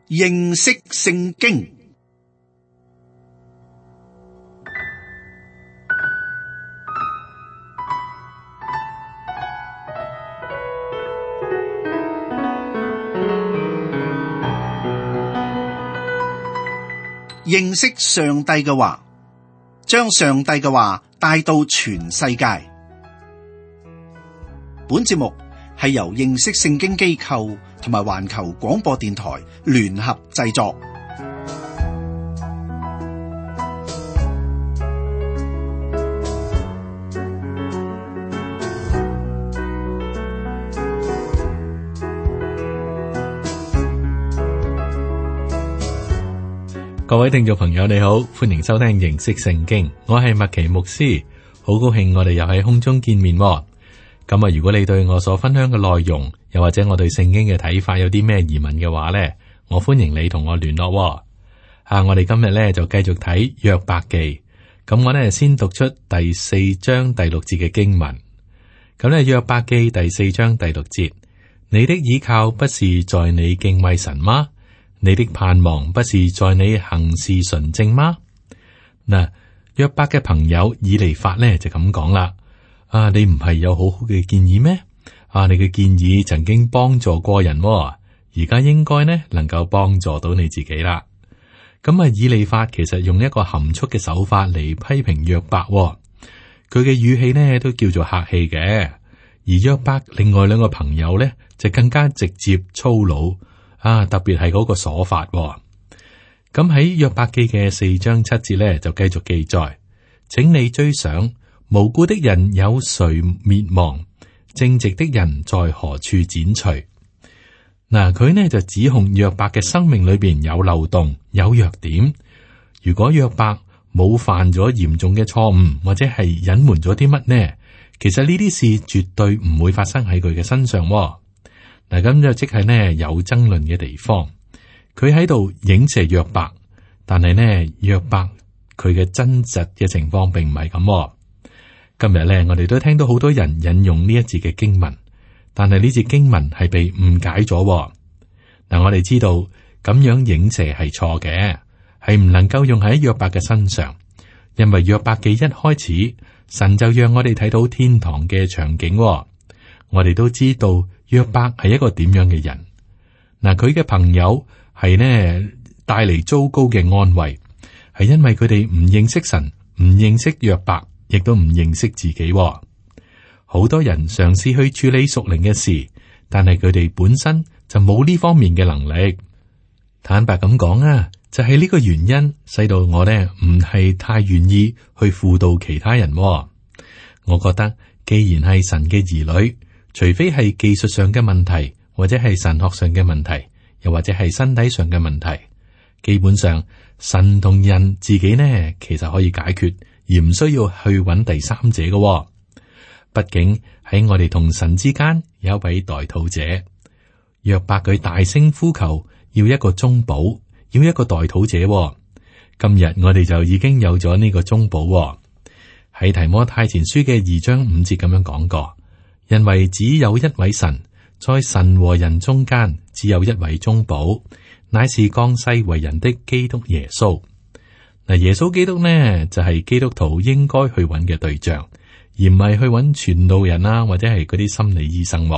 認識聖經。認識上帝嘅話，將上帝嘅話帶到全世界。本節目係由認識聖經機構同埋環球廣播電台聯合製作。各位聽眾朋友你好，歡迎收聽認識聖經，我係麥奇牧師，好高興我哋又喺空中見面。咁啊，如果你對我所分享嘅內容，又或者我對聖經嘅睇法有啲咩疑問嘅話呢，我歡迎你同我聯絡。我哋今日呢就繼續睇約伯記，咁我呢先讀出第4章第6節嘅經文。咁呢約伯記第4章第6節，你的倚靠不是在你敬畏神嗎？你的盼望不是在你行事純正嗎？嗱，約伯嘅朋友以利法呢就咁講啦。你唔係有好好嘅建議咩？你嘅建議曾經幫助過人，而家應該呢能夠幫助到你自己啦。咁啊，以利法其實用一個含蓄嘅手法嚟批評約伯，佢嘅語氣呢都叫做客氣嘅。而約伯另外兩個朋友呢就更加直接粗魯。特別係嗰個鎖法。咁喺約伯記嘅4章7節呢，就繼續記載，請你追想無辜的人有誰滅亡，正直的人在何處剪除。佢呢就指控約伯嘅生命裏邊有漏洞、有弱點。如果約伯冇犯咗嚴重嘅錯誤，或者係隱瞞咗啲乜呢？其實呢啲事絕對唔會發生喺佢嘅身上。咁就即係呢有爭論嘅地方，佢喺度影射約伯，但係呢約伯佢嘅真實嘅情況並唔係咁。今日呢我哋都聽到好多人引用呢一節嘅經文，但係呢節經文係被誤解咗。我哋知道咁樣影射係錯嘅，係唔能夠用喺約伯嘅身上，因為約伯記一開始，神就讓我哋睇到天堂嘅場景。我哋都知道。約伯係一個點樣嘅人？佢嘅朋友係呢帶嚟糟糕嘅安慰，係因為佢哋唔認識神，唔認識約伯，亦都唔認識自己。好多人嘗試去處理屬靈嘅事，但係佢哋本身就冇呢方面嘅能力。坦白咁講就係呢個原因，使到我呢唔係太願意去輔導其他人。我覺得既然係神嘅兒女，除非係技術上嘅問題，或者係神學上嘅問題，又或者係身體上嘅問題，基本上神同人自己呢，其實可以解決，而唔需要去揾第三者嘅。畢竟喺我哋同神之間有一位代禱者。約伯佢大聲呼求，要一個中保，要一個代禱者。今日我哋就已經有咗呢個中保。喺提摩太前書嘅2章5節咁樣講過。因為只有一位神，在神和人中間，只有一位中保，乃是降世為人的基督耶穌。耶穌基督呢，就係基督徒應該去揾嘅對象，而唔係去揾傳道人啊，或者係嗰啲心理醫生。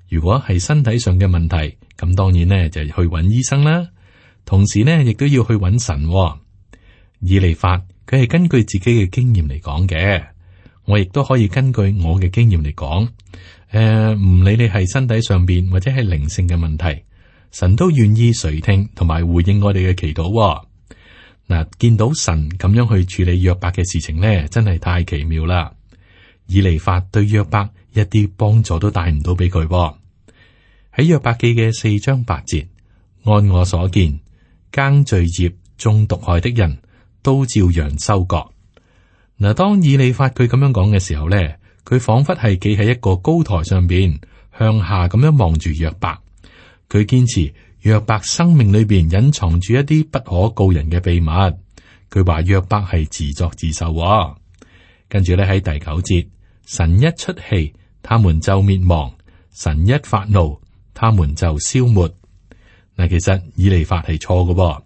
如果係身體上嘅問題，咁當然呢就去揾醫生啦。同時呢，亦都要去揾神。以利法佢係根據自己嘅經驗嚟講嘅。我亦都可以根據我嘅經驗嚟講，唔理你係身體上邊或者係靈性嘅問題，神都願意垂聽同埋回應我哋嘅祈禱。見到神咁樣去處理約伯嘅事情呢，真係太奇妙啦！以利法對約伯一啲幫助都帶唔到俾佢。喺約伯記嘅4章8節，按我所見，耕罪孽、種毒害的人都照樣收割。當以利法佢咁樣講嘅時候咧，佢仿佛係企喺一個高台上邊，向下咁樣望住約伯。佢堅持約伯生命裏邊隱藏住一啲不可告人嘅秘密。佢話約伯係自作自受。跟住咧喺第9節，神一出氣，他們就滅亡；神一發怒，他們就消沒。嗱，其實以利法係錯嘅，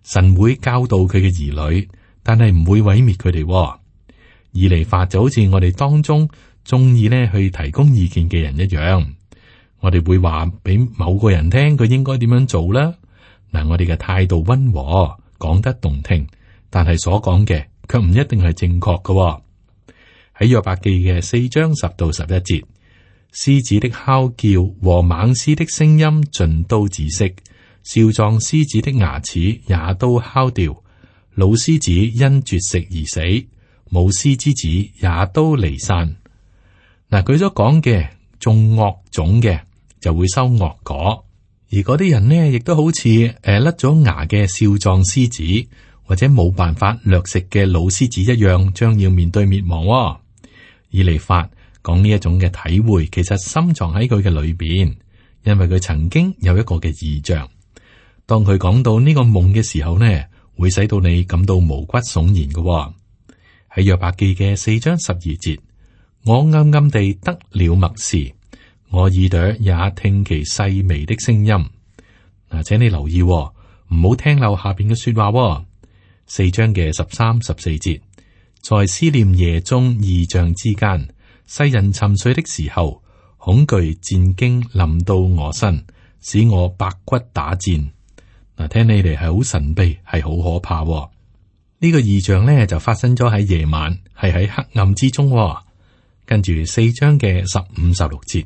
神會教導佢嘅兒女，但係唔會毀滅佢哋。以利法就好似我哋當中中意呢去提供意見嘅人一樣，我哋會話俾某個人聽佢應該點樣做啦。嗱，我哋嘅態度溫和，講得動聽，但係所講嘅卻唔一定係正確嘅。喺約伯記嘅4章10到11節，獅子的哮叫和猛獅的聲音盡都止息，少壯獅子的牙齒也都敲掉，老獅子因絕食而死，母獅之子也都離散。嗱，佢所講嘅種惡種嘅就會收惡果，而嗰啲人呢，亦都好似甩咗牙嘅少壯獅子，或者冇辦法掠食嘅老獅子一樣，將要面對滅亡。以利法講呢一種嘅體會，其實深藏喺佢嘅裏邊，因為佢曾經有一個嘅異象。當佢講到呢個夢嘅時候呢，會使到你感到毛骨悚然嘅。喺約伯記嘅4章12節，我暗暗地得了默示，我耳朵也聽其細微的聲音。嗱，請你留意，唔好聽漏下邊嘅說話。4章嘅13、14節，在思念夜中異象之間，世人沉睡的時候，恐懼戰驚臨到我身，使我百骨打戰。嗱，聽起嚟係好神秘，係好可怕。呢個異象呢，就發生咗喺夜晚，係喺黑暗之中。跟住4章嘅15、16節，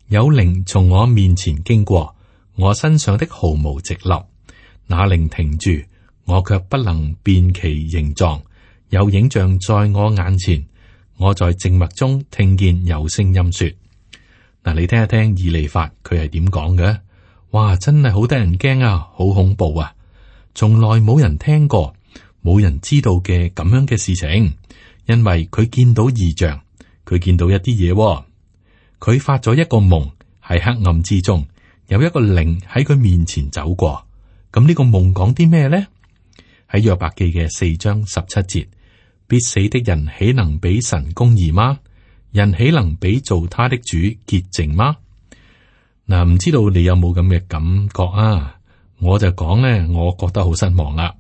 有靈從我面前經過，我身上的毫無直立，那靈停住，我卻不能辨其形狀。有影像在我眼前，我在靜默中聽見有聲音說：嗱，你聽一聽以利法佢係點講嘅？哇，真係好得人驚啊，好恐怖啊！從來冇人聽過，冇人知道嘅咁樣嘅事情，因為佢見到異象，佢見到一啲嘢，佢發咗一個夢，喺黑暗之中有一個靈喺佢面前走過。咁呢個夢講啲咩呢？喺約伯記嘅4章17節。必死的人豈能比神公義嗎？人豈能比造他的主潔淨嗎？嗱，唔知道你有冇咁嘅感覺啊？我就講呢，我覺得好失望啦。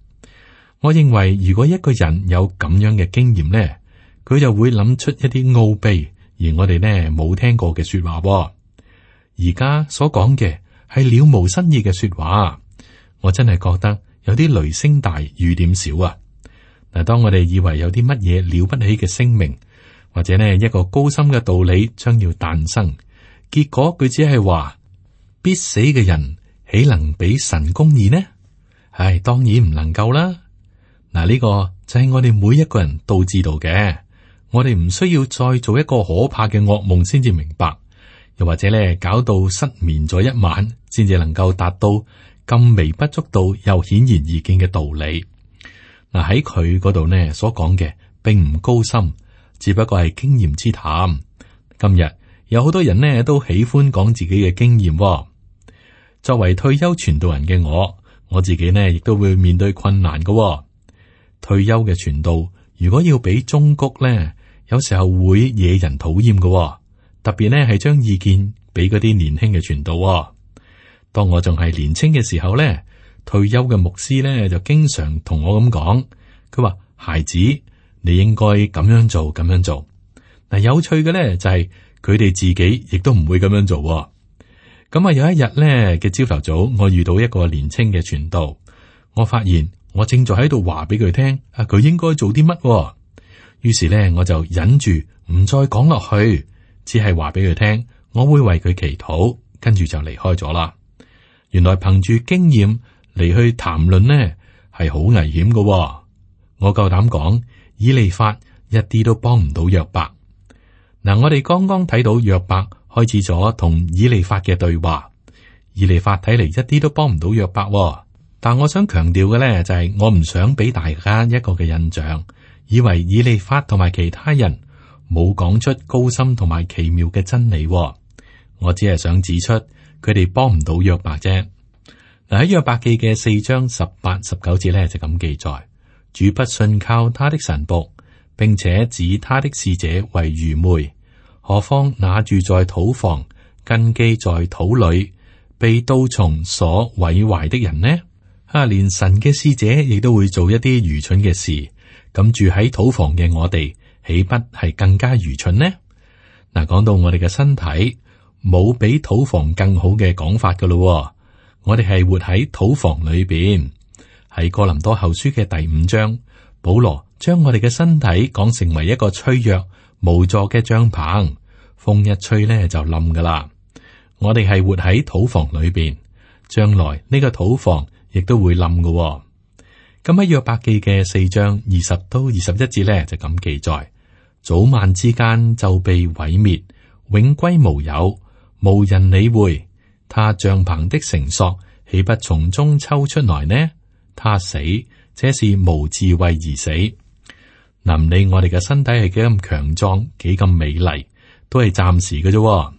我認為如果一個人有咁樣嘅經驗呢，佢就會諗出一啲奧秘，而我哋呢冇聽過嘅說話。而家所講嘅係了無新意嘅說話，我真係覺得有啲雷聲大雨點少啊！嗱，當我哋以為有啲乜嘢了不起嘅聲明，或者呢一個高深嘅道理將要誕生，結果佢只係話必死嘅人豈能比神公義呢？唉，當然唔能夠啦。嗱，呢個就係我哋每一個人都知道嘅，我哋唔需要再做一個可怕嘅噩夢先至明白，又或者咧搞到失眠咗一晚，先至能夠達到咁微不足道又顯然易見嘅道理。嗱，喺佢嗰度呢所講嘅並唔高深，只不過係經驗之談。今日有好多人呢都喜歡講自己嘅經驗。作為退休傳道人嘅我自己呢亦都會面對困難嘅。退休嘅傳道如果要俾忠告呢，有時候會惹人討厭嘅。特別呢係將意見俾嗰啲年輕嘅傳道。當我仲係年輕嘅時候呢，退休嘅牧師咧就經常同我咁講，佢話：孩子，你應該咁樣做，咁樣做。嗱，有趣嘅咧就係佢哋自己亦都唔會咁樣做。咁啊，有一日咧嘅朝頭早，我遇到一個年青嘅傳道，我發現我正在喺度話俾佢聽，佢應該做啲乜。於是咧我就忍住唔再講落去，只係話俾佢聽，我會為佢祈禱，跟住就離開咗啦。原來憑住經驗嚟去談論呢係好危險嘅。我夠膽講，以利法一啲都幫唔到約伯。嗱，我哋剛剛睇到約伯開始咗同以利法嘅對話，以利法睇嚟一啲都幫唔到約伯。但我想強調嘅咧就係，我唔想俾大家一個嘅印象，以為以利法同埋其他人冇講出高深同埋奇妙嘅真理。我只係想指出佢哋幫唔到約伯啫。嗱，喺約伯記嘅4章18、19節咧就咁記載：主不信靠他的臣僕，並且指他的使者為愚昧。何況那住在土房、根基在土裏，被刀蟲所毀壞的人呢？連神嘅使者亦都會做一啲愚蠢嘅事，咁住喺土房嘅我哋，豈不係更加愚蠢呢？嗱，講到我哋嘅身體，冇比土房更好嘅講法噶咯。我哋係活喺土房裏邊。喺哥林多後書嘅第5章，保羅將我哋嘅身體講成為一個脆弱無助嘅帳篷，風一吹咧就冧噶啦。我哋係活喺土房裏邊，將來呢個土房亦都會冧噶。咁喺約伯記嘅4章20到21節咧就咁記載：早晚之間就被毀滅，永歸無有，無人理會。他帳篷的繩索豈不從中抽出來呢？他死，這是無智慧而死。唔理我哋嘅身體係幾咁強壯，幾咁美麗，都係暫時嘅啫。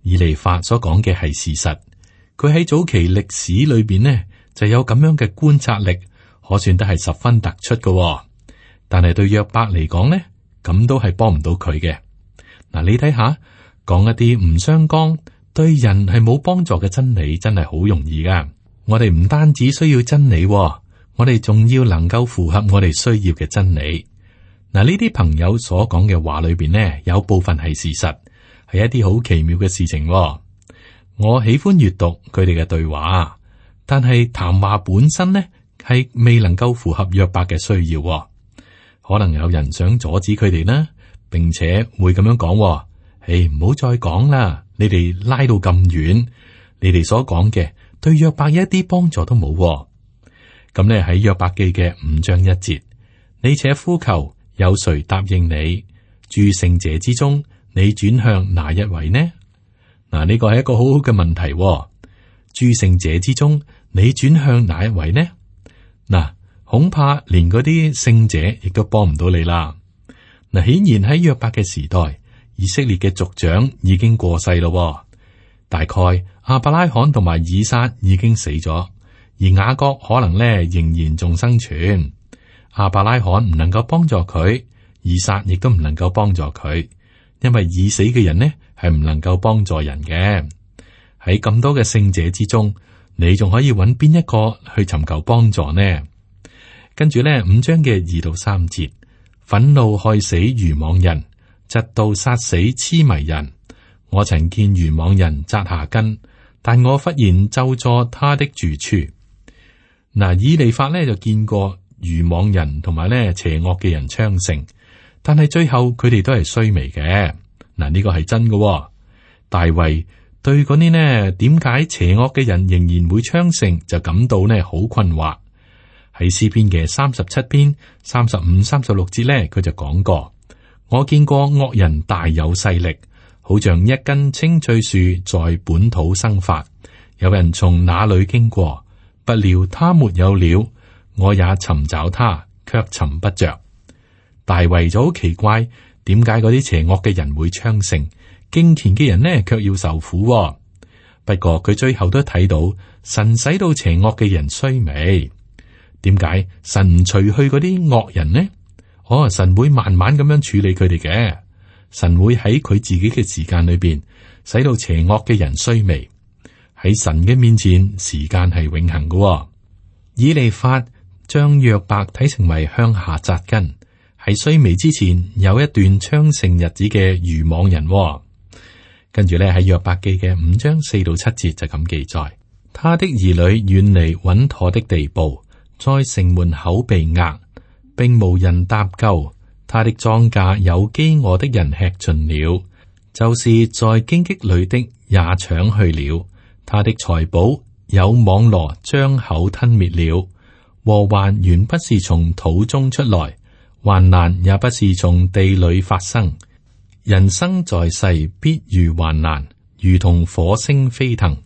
以利法所講嘅係事實，佢喺早期歷史裏邊呢就有咁樣嘅觀察力，可算得係十分突出嘅。但係對約伯嚟講呢，咁都係幫唔到佢嘅。嗱，你睇下，講一啲唔相干，對人係冇幫助嘅真理，真係好容易噶。我哋唔單止需要真理，我哋仲要能夠符合我哋需要嘅真理。嗱，呢啲朋友所講嘅話裏邊呢，有部分係事實，係一啲好奇妙嘅事情。我喜歡閱讀佢哋嘅對話，但係談話本身呢，係未能夠符合約伯嘅需要。可能有人想阻止佢哋啦，並且會咁樣講：誒，唔好再講啦，你哋拉到咁遠，你哋所講嘅對約伯一啲幫助都冇。咁呢喺約伯記嘅5章1節，你且呼求，有誰答應你？諸聖者之中，你轉向哪一位呢？嗱，呢個係一個好好嘅問題。諸聖者之中，你轉向哪一位呢？嗱，恐怕連嗰啲聖者亦都幫唔到你啦。嗱，顯然喺約伯嘅時代，以色列嘅族長已經過世咯。大概亞伯拉罕同埋以撒已經死咗，而雅各可能咧仍然仲生存。亞伯拉罕唔能夠幫助佢，以撒亦都唔能夠幫助佢，因為已死嘅人呢係唔能夠幫助人嘅。喺咁多嘅聖者之中，你仲可以揾邊一個去尋求幫助呢？跟住呢5章嘅2到3節，憤怒害死愚妄人，嫉妒殺死癡迷人。我曾見愚妄人扎下根，但我忽然咒詛他的住處。嗱，以利法呢就見過愚妄人同埋呢邪惡嘅人昌盛，但係最後佢哋都係衰微嘅。嗱，呢個係真嘅。大衛對嗰啲呢點解邪惡嘅人仍然會昌盛，就感到呢好困惑。喺詩篇嘅37篇35、36節呢，佢就講過：我見過惡人大有勢力，好像一根青翠樹在本土生發，有人從那裏經過，不料他沒有了，我也尋找他，卻尋不着。大衛就好奇怪，點解嗰啲邪惡嘅人會昌盛，敬虔嘅人呢卻要受苦？不過佢最後都睇到神使到邪惡嘅人衰微。點解神唔除去嗰啲惡人呢？神會慢慢咁樣處理佢哋嘅。神會喺佢自己嘅時間裏邊，使到邪惡嘅人衰微。喺神嘅面前，時間係永恆嘅。以利法將約伯睇成為向下扎根，喺衰微之前有一段昌盛日子嘅愚妄人。跟住咧喺約伯記嘅5章4到7節就咁記載：他的兒女遠離穩妥的地步，在城門口被壓，並無人搭救。他的莊稼有飢餓的人吃盡了，就是在荊棘裏的也搶去了。他的財寶有網羅張口吞滅了。禍患原不是從土中出來，患難也不是從地裏發生。人生在世必遇患難，如同火星飛騰。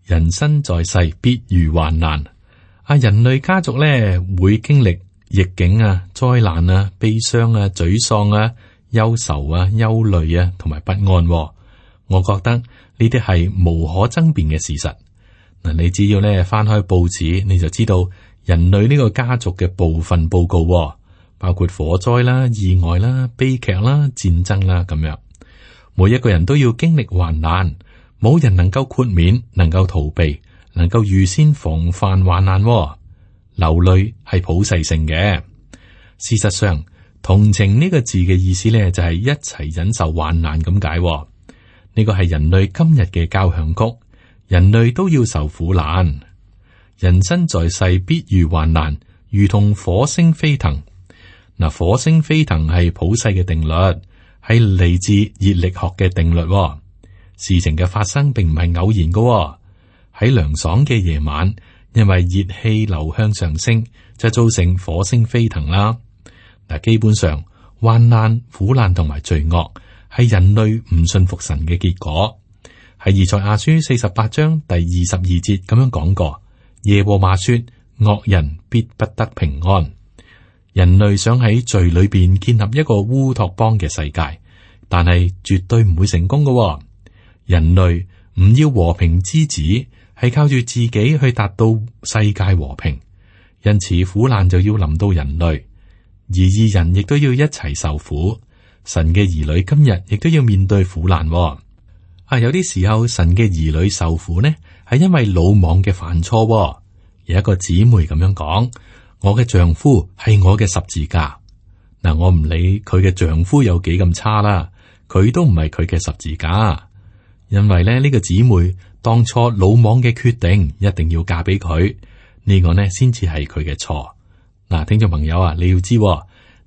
人生在世必遇患難。人類家族咧會經歷逆境啊、災難啊、悲傷啊、沮喪啊、憂愁啊、憂慮啊，同埋不安。我覺得呢啲係無可爭辯嘅事實。嗱，你只要咧翻開報紙，你就知道人類呢個家族嘅部分報告，包括火災啦、意外啦、悲劇啦、戰爭啦咁樣。每一個人都要經歷患難，冇人能夠豁免，能夠逃避，能夠預先防範患難。流淚係普世性嘅。事實上，同情呢個字嘅意思呢，就係一齊忍受患難咁解。呢個係人類今日嘅交響曲，人類都要受苦難。人生在世必遇患難，如同火星飛騰。嗱，火星飛騰係普世嘅定律，係嚟自熱力學嘅定律。事情嘅發生並唔係偶然嘅。喺涼爽嘅夜晚，因為熱氣流向上升，就造成火星飛騰啦。嗱，基本上患難、苦難同埋罪惡係人類唔信服神嘅結果。喺以賽亞書48章第22節咁樣講過：耶和華說，惡人必不得平安。人類想喺罪裏邊建立一個烏托邦嘅世界，但係絕對唔會成功嘅。人類唔要和平之子，係靠住自己去達到世界和平，因此苦難就要臨到人類，而義人亦都要一齊受苦。神嘅兒女今日亦都要面對苦難。有啲時候神嘅兒女受苦呢，係因為魯莽嘅犯錯。有一個姊妹咁樣講：我嘅丈夫係我嘅十字架。嗱，我唔理佢嘅丈夫有幾咁差啦，佢都唔係佢嘅十字架。因為咧，呢個姊妹當初魯莽嘅決定，一定要嫁俾佢，呢個呢先至係佢嘅錯。嗱，聽眾朋友啊，你要知，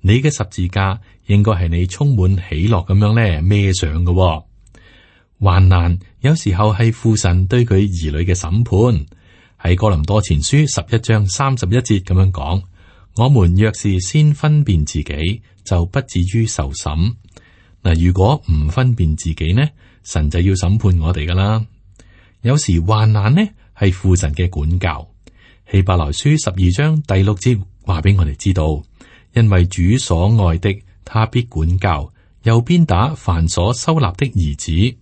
你嘅十字架應該係你充滿喜樂咁樣咧孭上嘅。患難有時候係父神對佢兒女嘅審判。喺哥林多前書11章31節咁樣講：我們若是先分辨自己，就不至於受審。嗱，如果唔分辨自己呢，神就要審判我哋噶啦。有時患難呢係父神嘅管教。希伯來書12章第6節話俾我哋知道，因為主所愛的，他必管教，又鞭打凡所收納的兒子。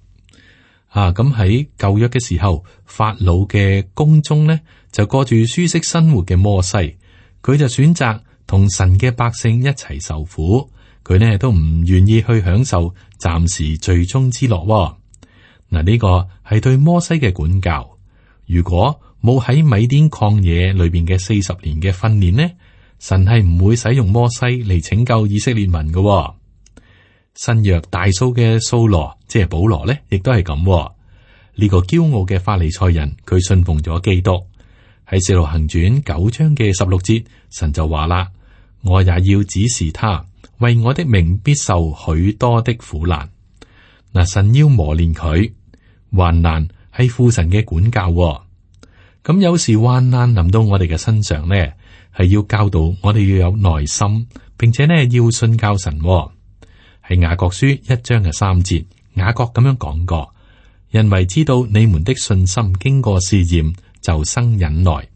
咁喺舊約嘅時候，法老嘅宮中呢，就過住舒適生活嘅摩西，佢就選擇同神嘅百姓一齊受苦，佢呢都唔願意去享受暫時最終之樂。嗱，呢個係對摩西嘅管教。如果冇喺米甸曠野裏邊嘅40年嘅訓練呢，神係唔會使用摩西嚟拯救以色列民嘅。新約大數嘅掃羅，即係保羅呢，亦都係咁。呢個驕傲嘅法利賽人，佢信奉咗基督。喺《使徒行傳》9章嘅16節，神就話啦：我也要指示他，為我的名必受許多的苦難。嗱，神要磨練佢，患難係父神嘅管教。咁有時患難臨到我哋嘅身上呢，係要教導我哋要有耐心，並且呢要信靠神。喺雅各書1章嘅3節，雅各咁樣講過：因為知道你們的信心經過試驗，就生忍耐。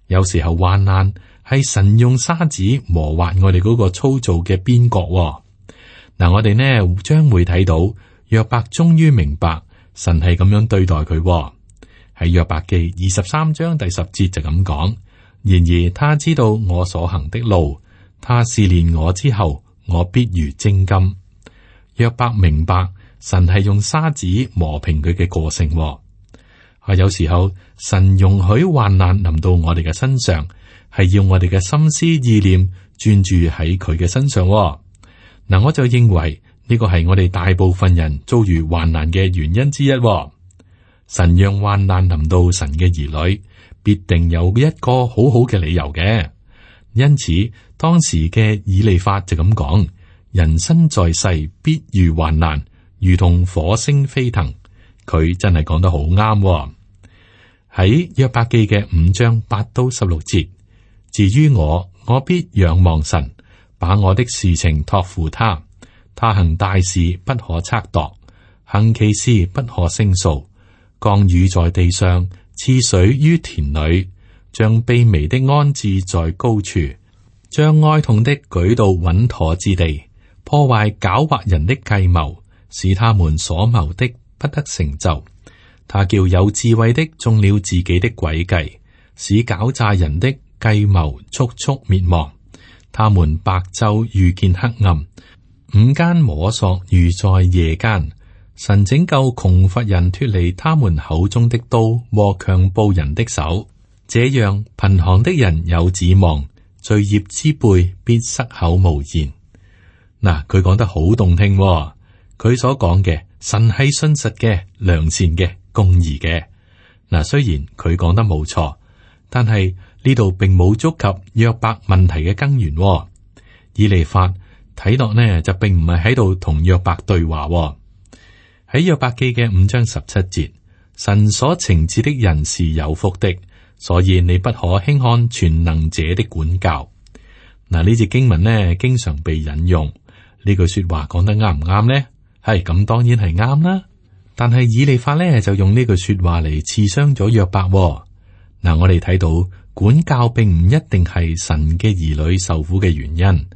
有時候患難係神用沙子磨滑我哋嗰個粗糙嘅邊角。嗱，我哋呢將會睇到約伯終於明白神係咁樣對待佢。喺約伯記23章第10節就咁講：然而他知道我所行的路，他試煉我之後，我必如精金。約伯明白神係用沙子磨平佢嘅個性。有時候神容許患難臨到我哋嘅身上，係要我哋嘅心思意念專注喺佢嘅身上。嗱，我就認為呢個係我哋大部分人遭遇患難嘅原因之一。神讓患難臨到神嘅兒女，必定有一個好好嘅理由嘅。因此，當時嘅以利法就咁講：人生在世必遇患難，如同火星飛騰。佢真係講得好啱。喺約伯記嘅5章8到16節，至於我必仰望神，把我的事情託付他。他行大事不可測度，行奇事不可勝數。降雨在地上，賜水於田裏，將卑微的安置在高處，將哀痛的舉到穩妥之地，破壞狡猾人的計謀，使他們所謀的不得成就。他叫有智慧的中了自己的詭計，使狡詐人的計謀速速滅亡。他們白晝遇見黑暗，午間摸索如在夜間。神拯救窮乏人脫離他們口中的刀和強暴人的手，這樣貧寒的人有指望，罪孽之輩必塞口無言。嗱，佢講得好動聽喎，佢所講嘅神係信實嘅、良善嘅、公義嘅。嗱，雖然佢講得冇錯，但係呢度並冇觸及約伯問題嘅根源喎。以利法睇落呢就並唔係喺度同約伯對話喎。喺約伯記嘅5章17節，神所懲治的人是有福的，所以你不可輕看全能者的管教。嗱，呢節經文呢經常被引用，呢句說話講得啱唔啱呢？係咁，當然係啱啦。但係以利法呢就用呢句說話嚟刺傷咗約伯喎。嗱，我哋睇到管教並唔一定係神嘅兒女受苦嘅原因。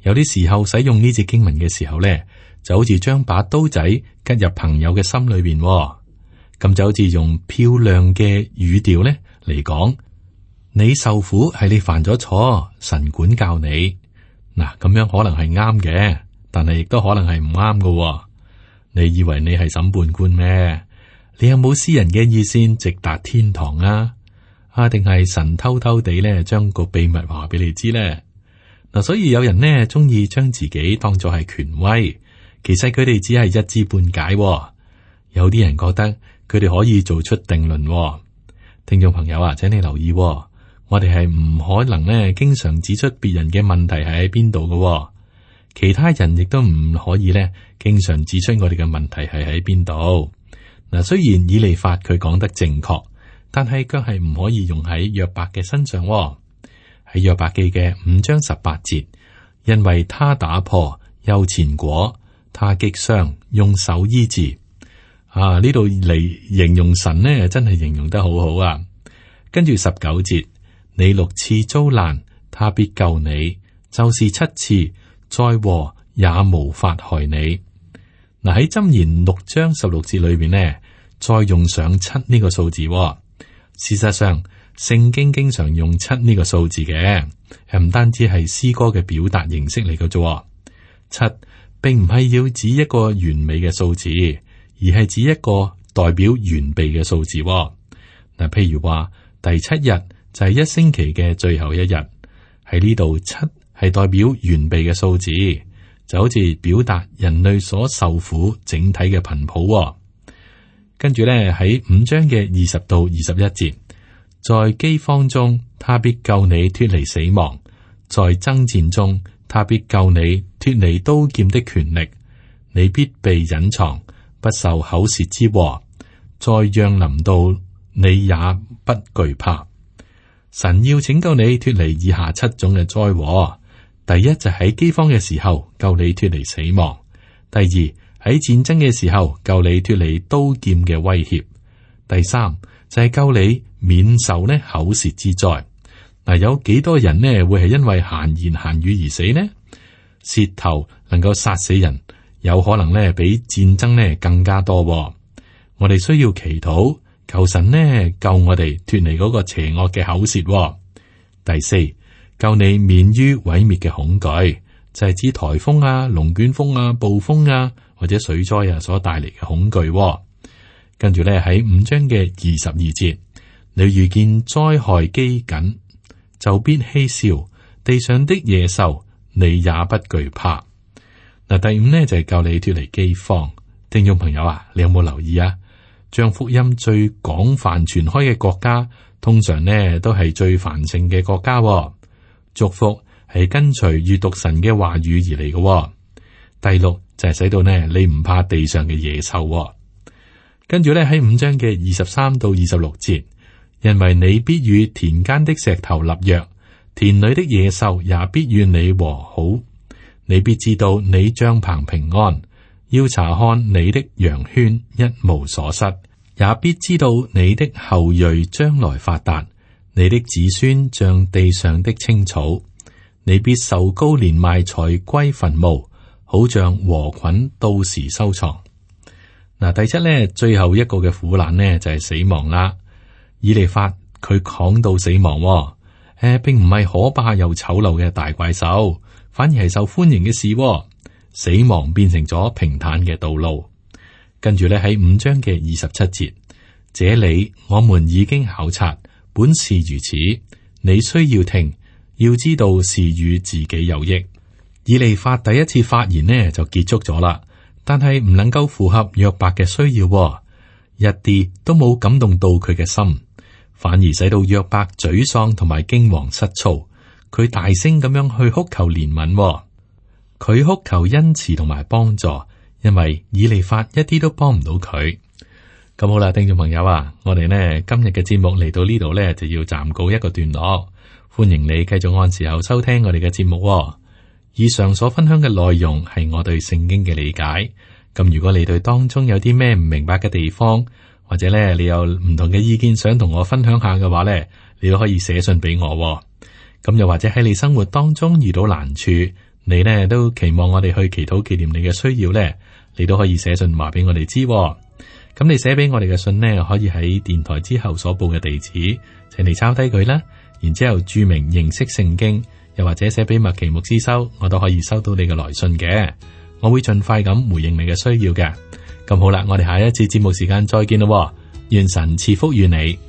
有啲時候使用呢節經文嘅時候呢，就好似將把刀仔吉入朋友嘅心裏邊，咁就好似用漂亮嘅語調呢嚟講，你受苦係你犯咗錯，神管教你。嗱，咁樣可能係啱嘅，但係亦都可能係唔啱嘅。你以為你係審判官咩？你有冇私人嘅意見直達天堂啊？定係神偷偷地咧將個秘密話俾你知咧？嗱，所以有人呢中意將自己當作係權威，其實佢哋只係一知半解。有啲人覺得佢哋可以做出定論。聽眾朋友啊，請你留意，我哋係唔可能呢經常指出別人嘅問題係喺邊度嘅。其他人亦都唔可以咧，經常指出我哋嘅問題係喺邊度。嗱，雖然以利法佢講得正確，但係卻係唔可以用喺約伯嘅身上。喺約伯記嘅5章18節，因為他打破又纏裹，他擊傷用手醫治。呢度嚟形容神呢，真係形容得好好啊。跟住19節，你6次遭難，他必救你；就是7次，災禍也無法害你。嗱，喺箴言6章16節裏邊呢，再用上7呢個數字。事實上，聖經經常用7呢個數字嘅，唔單止係詩歌嘅表達形式嚟嘅啫。7並唔係要指一個完美嘅數字，而係指一個代表完備嘅數字。嗱，譬如話第7日就係1星期嘅最後一日，喺呢度7係代表完備嘅數字，就好似表達人類所受苦整體嘅頻譜。跟住咧喺5章嘅20到21節，在饑荒中，他必救你脫離死亡；在爭戰中，他必救你脫離刀劍的權力。你必被隱藏，不受口舌之禍。再讓臨到，你也不懼怕。神要拯救你脫離以下7種嘅災禍。第一就喺饑荒嘅時候救你脫離死亡；第二喺戰爭嘅時候救你脫離刀劍嘅威脅；第三就係救你免受呢口舌之災。嗱，有幾多人呢會係因為閒言閒語而死呢？舌頭能夠殺死人，有可能呢比戰爭呢更加多。我哋需要祈禱，求神呢救我哋脫離嗰個邪惡嘅口舌。第四，救你免於毀滅嘅恐懼，就係指颱風啊、龍捲風啊、暴風啊或者水災啊所帶嚟嘅恐懼。跟住咧喺5章嘅22節，你遇見災害饑饉，就必嬉笑；地上的野獸，你也不懼怕。嗱，第5呢就係救你脫離饑荒。聽眾朋友啊，你有冇留意啊？將福音最廣泛傳開嘅國家，通常呢都係最繁盛嘅國家。祝福係跟隨閱讀神嘅話語而嚟嘅。第6就係使到呢你唔怕地上嘅野獸。跟住咧喺5章嘅23到26節，因為你必與田間的石頭立約，田裏的野獸也必與你和好。你必知道你帳棚平安，要查看你的羊圈一無所失，也必知道你的後裔將來發達，你的子孫像地上的青草。你必受高年邁才歸墳墓，好像禾捆到時收藏。嗱，第7呢，最後一個嘅苦難呢，就係死亡啦。以利法佢講到死亡，並唔係可怕又醜陋嘅大怪獸，反而係受歡迎嘅事。死亡變成咗平坦嘅道路。跟住咧喺5章嘅27節，這裏我們已經考察，本是如此。你需要聽，要知道是與自己有益。以利法第一次發言呢就結束咗啦，但係唔能夠符合約伯嘅需要，一啲都冇感動到佢嘅心，反而使到約伯沮喪同埋驚惶失措。佢大聲咁樣去哭求憐憫，佢哭求恩慈同埋幫助，因為以利法一啲都幫唔到佢。咁好啦，聽眾朋友啊，我哋呢今日嘅節目嚟到呢度呢，就要暫告一個段落。歡迎你繼續按時候收聽我哋嘅節目。以上所分享嘅內容係我對聖經嘅理解。咁如果你對當中有啲咩唔明白嘅地方，或者咧你有唔同嘅意見想同我分享下嘅話咧，你都可以寫信俾我。咁又或者喺你生活當中遇到難處，你呢都期望我哋去祈禱紀念你嘅需要咧，你都可以寫信話俾我哋知。咁你寫俾我哋嘅信呢，可以喺電台之後所報嘅地址，請你抄低佢啦，然之後注明認識聖經，又或者寫俾麥奇牧師收，我都可以收到你嘅來信嘅。我會盡快咁回應你嘅需要嘅。咁好啦，我哋下一次節目時間再見咯。願神賜福於你。